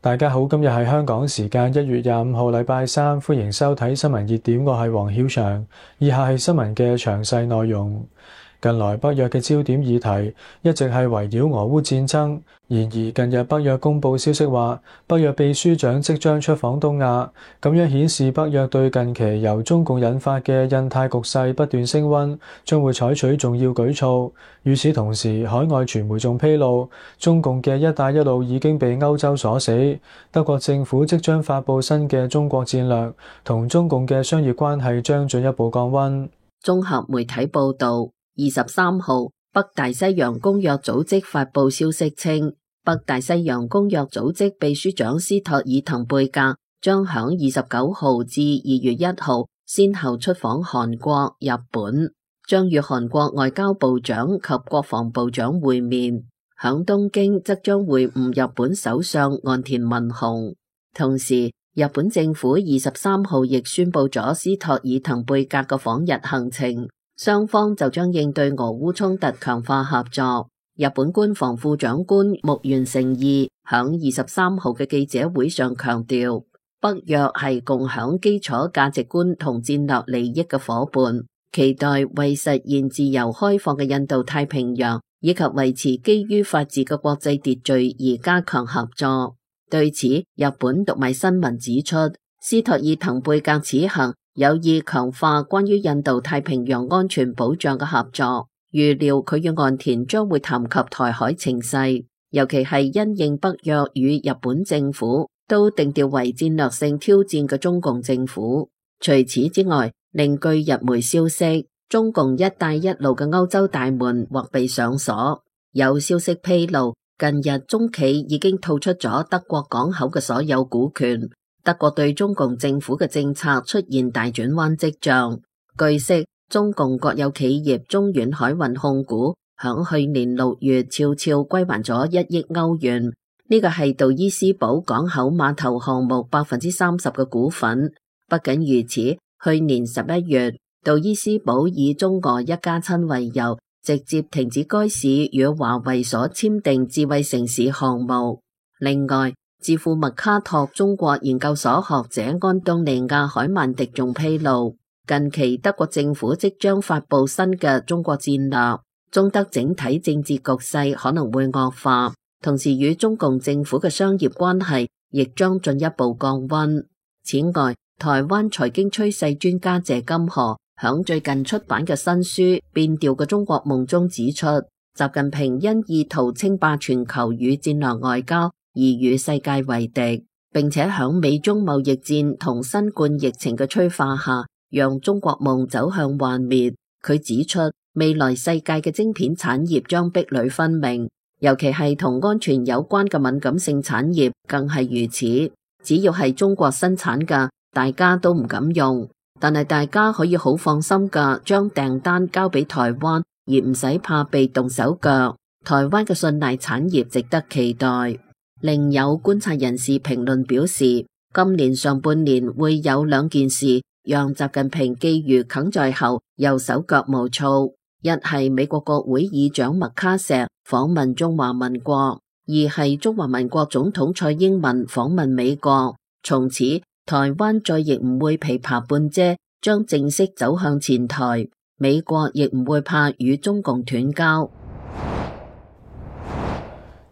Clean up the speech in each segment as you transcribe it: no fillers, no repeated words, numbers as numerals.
大家好，今日係香港時間1月25號禮拜三，歡迎收睇新聞熱點，我係黃曉翔。以下係新聞嘅詳細內容。近來北約嘅焦點議題一直係圍繞俄烏戰爭，然而近日北約公佈消息話，北約秘書長即將出訪東亞，咁樣顯示北約對近期由中共引發嘅印太局勢不斷升溫，將會採取重要舉措。與此同時，海外傳媒仲披露，中共嘅一帶一路已經被歐洲鎖死，德國政府即將發佈新嘅中國戰略，同中共嘅商業關係將進一步降溫。綜合媒體報導，23號，北大西洋公約組織發佈消息稱，北大西洋公約組織秘書長斯托爾滕貝格將響29號至2月1號先後出訪韓國、日本，將與韓國外交部長及國防部長會面。響東京則將會晤日本首相岸田文雄。同時，日本政府23號亦宣布咗斯托爾滕貝格嘅訪日行程。雙方就將應對俄烏衝突強化合作。日本官房副長官木原誠二響23號嘅記者會上強調，北約係共享基礎價值觀同戰略利益嘅夥伴，期待為實現自由開放嘅印度太平洋以及維持基於法治嘅國際秩序而加強合作。對此，日本讀賣新聞指出，斯托爾滕貝格此行有意強化關於印度太平洋安全保障嘅合作，預料佢與岸田將會談及台海情勢，尤其係因應北約與日本政府都定調為戰略性挑戰嘅中共政府。除此之外，另據日媒消息，中共一帶一路嘅歐洲大門或被上鎖。有消息披露，近日中企已經吐出咗德國港口嘅所有股權。德國對中共政府嘅政策出現大轉彎跡象。據悉，中共國有企業中遠海運控股響去年6月悄悄歸還咗1億歐元，呢個係杜伊斯堡港口碼頭項目30%嘅股份。不僅如此，去年11月，杜伊斯堡以中俄一家親為由，直接停止該市與華為所簽訂智慧城市項目。另外，智庫麥卡托中國研究所學者安東尼亞海曼迪仲披露，近期德國政府即將發佈新嘅中國戰略，中德整體政治局勢可能會惡化，同時與中共政府嘅商業關係亦將進一步降溫。此外，台灣財經趨勢專家謝金河響最近出版嘅新書《變調嘅中國夢》中指出，習近平因意圖稱霸全球與戰略外交而與世界為敵，並且響美中貿易戰同新冠疫情嘅催化下，讓中國夢走向幻滅。佢指出，未來世界嘅晶片產業將壁壘分明，尤其係同安全有關嘅敏感性產業更係如此。只要係中國生產嘅，大家都唔敢用，但係大家可以好放心嘅將訂單交俾台灣，而唔使怕被動手腳。台灣嘅信賴產業值得期待。另有觀察人士評論表示，今年上半年會有兩件事讓習近平寄予鯁在後又手腳無措，一係美國國會議長麥卡錫訪問中華民國，二係中華民國總統蔡英文訪問美國。從此台灣再亦唔會琵琶半遮，將正式走向前台，美國亦唔會怕與中共斷交。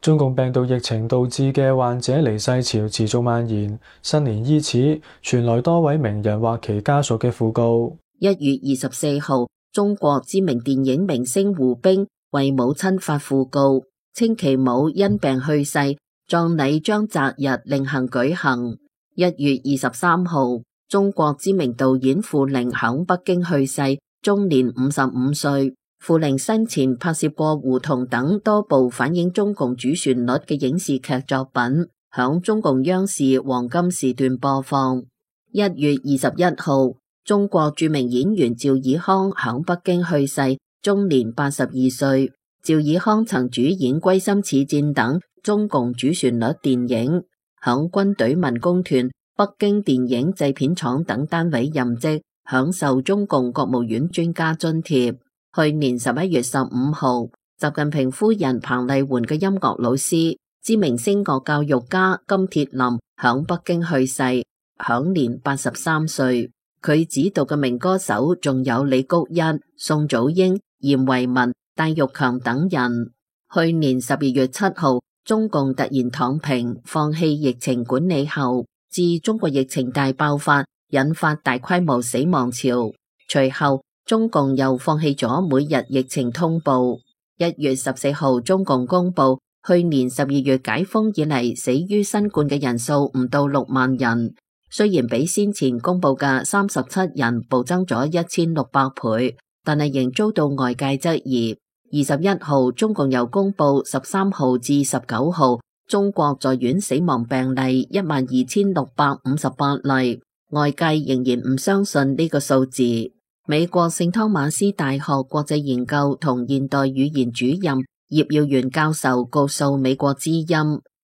中共病毒疫情導致嘅患者離世潮持續蔓延，新年伊始，傳來多位名人或其家屬嘅訃告。1月24號，中國知名電影明星胡兵為母親發訃告，稱其母因病去世，葬禮將擇日另行舉行。1月23號，中國知名導演傅玲響北京去世，終年55歲。傅玲生前拍攝過《胡同》等多部反映中共主旋律嘅影視劇作品，響中共央視黃金時段播放。1月21號，中國著名演員趙爾康響北京去世，終年82歲。趙爾康曾主演《歸心似箭》等中共主旋律電影，響軍隊民工團、北京電影製片廠等單位任職，享受中共國務院專家津貼。去年11月15號，習近平夫人彭麗媛嘅音樂老師、知名聲樂教育家金鐵霖響北京去世，享年83歲。佢指導嘅名歌手仲有李谷一、宋祖英、嚴維民、戴玉強等人。去年12月7號，中共突然躺平，放棄疫情管理後，自中國疫情大爆發，引發大規模死亡潮。隨後，中共又放棄咗每日疫情通報。1月14號，中共公布去年12月解封以嚟死於新冠嘅人數唔到6萬人，雖然比先前公布嘅37人暴增咗1600倍，但係仍遭到外界質疑。21號，中共又公布13號至19號中國在院死亡病例12658例，外界仍然唔相信呢個數字。美國聖湯馬斯大學國際研究同現代語言主任葉耀元教授告訴美國之音，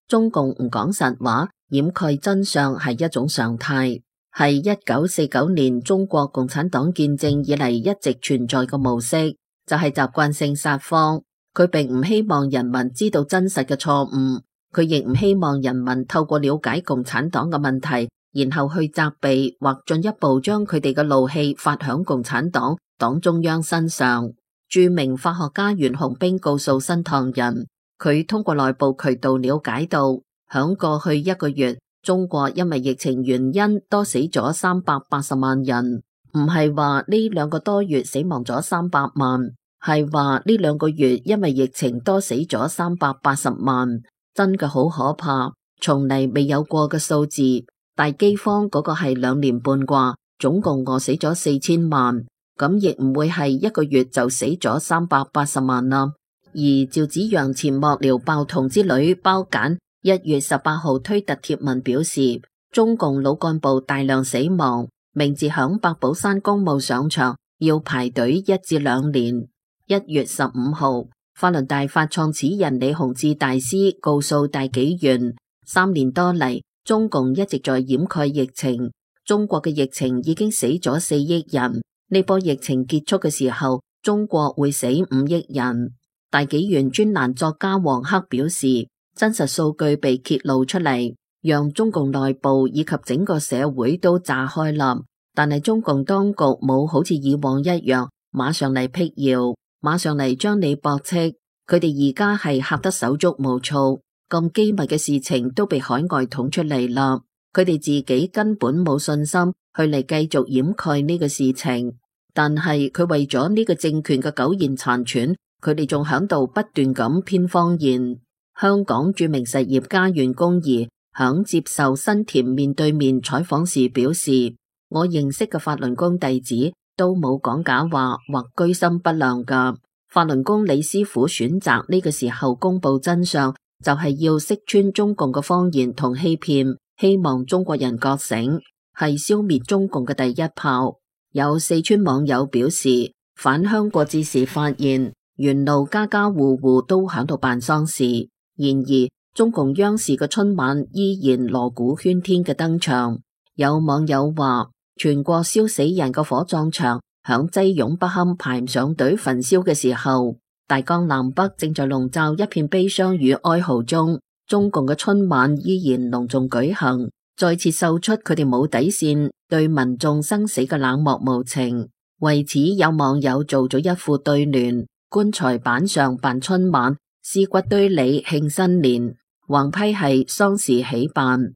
中共唔講實話，掩蓋真相係一種常態，係1949年中國共產黨建政以嚟一直存在嘅模式，就係習慣性撒謊。佢並唔希望人民知道真實嘅錯誤，佢亦唔希望人民透過了解共產黨嘅問題，然後去責備或進一步將佢哋嘅怒氣發響共產黨、黨中央身上。著名法學家袁洪兵告訴新唐人，佢通過內部渠道了解到，響過去1個月，中國因為疫情原因多死咗380萬人，唔係話呢2個多月死亡咗300萬，係話呢2個月因為疫情多死咗380萬，真嘅好可怕，從嚟未有過嘅數字。大饑荒嗰個係2年半啩，總共餓死咗4000萬，咁亦唔會係1個月就死咗380萬啦。而趙紫陽前幕僚爆童之女包簡1月18號推特貼文表示，中共老幹部大量死亡，名字響白寶山公墓上場要排隊1至2年。1月15號，法輪大法創始人李洪志大師告訴大紀元，3年多嚟，中共一直在掩蓋疫情，中國嘅疫情已經死咗4億人，呢波疫情結束嘅時候，中國會死5億人。大紀元專欄作家黃克表示，真實數據被揭露出嚟，讓中共內部以及整個社會都炸開啦。但係中共當局冇好似以往一樣，馬上嚟闢謠，馬上嚟將你駁斥。佢哋而家係嚇得手足無措，咁機密嘅事情都被海外捅出嚟啦。佢哋自己根本冇信心去嚟繼續掩蓋呢個事情，但係佢為咗呢個政權嘅苟延殘喘，佢哋仲響度不斷咁編謊言。香港著名實業家袁弓夷響接受新田面對面採訪時表示，我認識嘅法輪功弟子都冇講假話或居心不良噶。法輪功李師傅選擇呢個時候公布真相，就係要識穿中共嘅謊言同欺騙，希望中國人覺醒，係消滅中共嘅第一炮。有四川網友表示，返鄉過節時發現沿路家家戶戶都響度辦喪事。然而，中共央視嘅春晚依然鑼鼓喧天嘅登場。有網友話，全國燒死人嘅火葬場響擠擁不堪排唔上隊焚燒嘅時候，大江南北正在籠罩一片悲傷與哀嚎中。中共嘅春晚依然隆重舉行，再次秀出佢哋冇底線對民眾生死嘅冷漠無情。為此，有網友做咗一副對聯：棺材板上辦春晚，屍骨堆裏慶新年。橫批係喪事喜辦。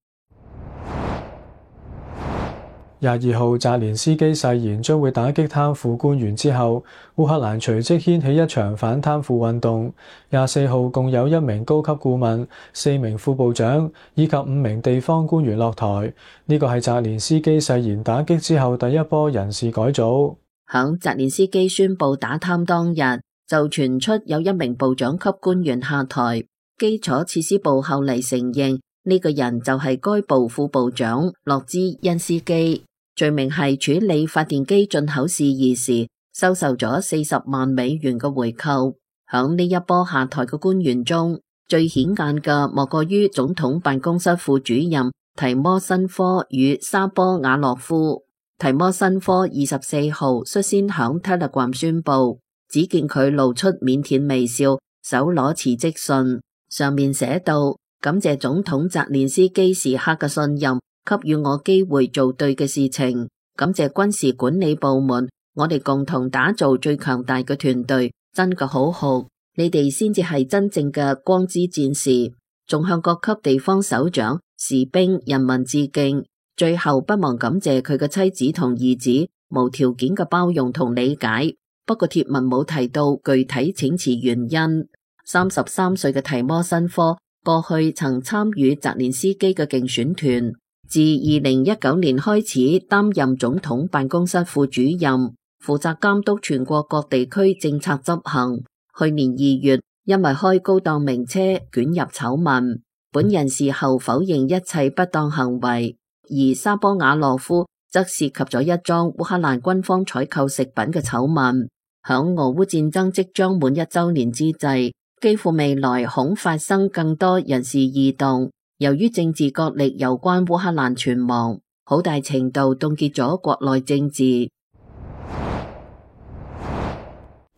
22號，澤連斯基誓言將會打擊貪腐官員之後，烏克蘭隨即掀起一場反貪腐運動。24號，共有1名高級顧問、4名副部長以及5名地方官員落台。呢個係澤連斯基誓言打擊之後第一波人事改組。響澤連斯基宣布打貪當日，就傳出有1名部長級官員下台。基礎設施部後嚟承認呢個人就係該部副部長洛茲恩斯基，罪名係處理發電機進口事宜時收受咗40萬美元嘅回扣。響呢一波下台嘅官員中，最顯眼嘅莫過於總統辦公室副主任提摩申科與沙波瓦洛夫。提摩申科24號率先響 Telegram 宣布，只見佢露出腼腆微笑，手攞辭職信，上面寫道：感謝總統澤連斯基時刻嘅信任，給予我機會做對嘅事情。感謝軍事管理部門，我哋共同打造最強大嘅團隊，真嘅好好。你哋先至係真正嘅光之戰士。仲向各級地方首長、士兵、人民致敬。最後不忘感謝佢嘅妻子同兒子無條件嘅包容同理解。不過貼文冇提到具體請辭原因。33歲嘅提摩申科過去曾參與澤連斯基嘅競選團，自2019年開始擔任總統辦公室副主任，負責監督全國各地區政策執行。去年2月，因為開高檔名車捲入醜聞，本人事後否認一切不當行為。而沙波瓦洛夫則涉及咗一樁烏克蘭軍方採購食品嘅醜聞。響俄烏戰爭即將滿1週年之際，幾乎未來恐發生更多人事異動。由於政治角力有關烏克蘭存亡，好大程度凍結咗國內政治。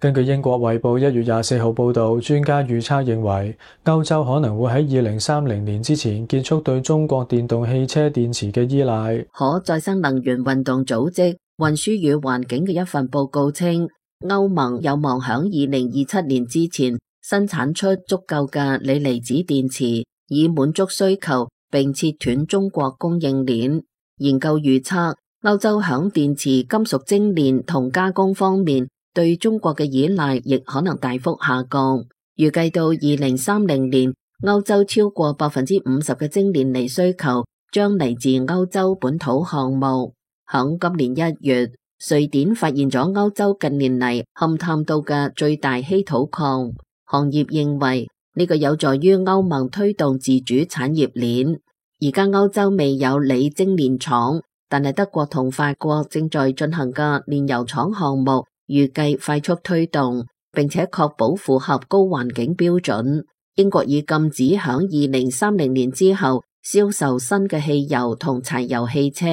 根據英國衛報1月24號報導，專家預測認為，歐洲可能會喺2030年之前結束對中國電動汽車電池嘅依賴。可再生能源運動組織運輸與環境嘅一份報告稱，歐盟有望響2027年之前生產出足夠嘅鋰離子電池，以滿足需求並切斷中國供應鏈。研究預測，歐洲響電池金屬精煉同加工方面對中國嘅依賴亦可能大幅下降。預計到2030年，歐洲超過50%嘅精煉鋰需求將嚟自歐洲本土項目。響今年1月，瑞典發現咗歐洲近年嚟勘探到嘅最大稀土礦。行業認為呢個有助於歐盟推動自主產業鏈。而家歐洲未有鋰精煉廠，但係德國同法國正在進行嘅煉油廠項目，預計快速推動，並且確保符合高環境標準。英國已禁止響2030年之後銷售新嘅汽油同柴油汽車，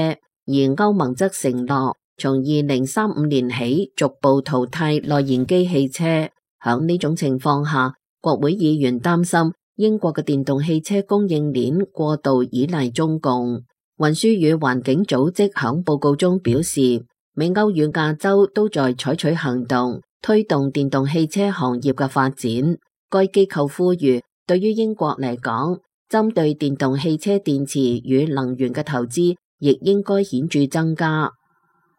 而歐盟則承諾從2035年起逐步淘汰內燃機汽車。響呢種情況下，國會議員擔心英國嘅電動汽車供應鏈過度依賴中共。運輸與環境組織響報告中表示，美歐與亞洲都在採取行動，推動電動汽車行業嘅發展。該機構呼籲，對於英國嚟講，針對電動汽車電池與能源嘅投資亦應該顯著增加。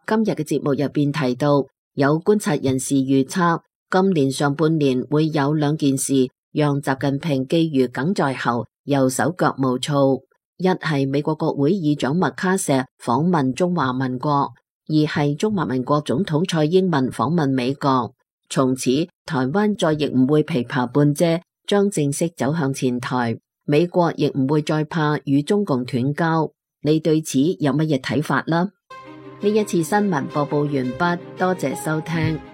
今日嘅節目入邊提到，有觀察人士預測，今年上半年會有2件事讓習近平寄予梗在後，又手腳無措。一係美國國會議長麥卡錫訪問中華民國，二係中華民國總統蔡英文訪問美國。從此台灣再亦唔會琵琶半遮，將正式走向前台。美國亦唔會再怕與中共斷交。你對此有乜嘢睇法呢？呢一次新聞播報完畢，多謝收聽。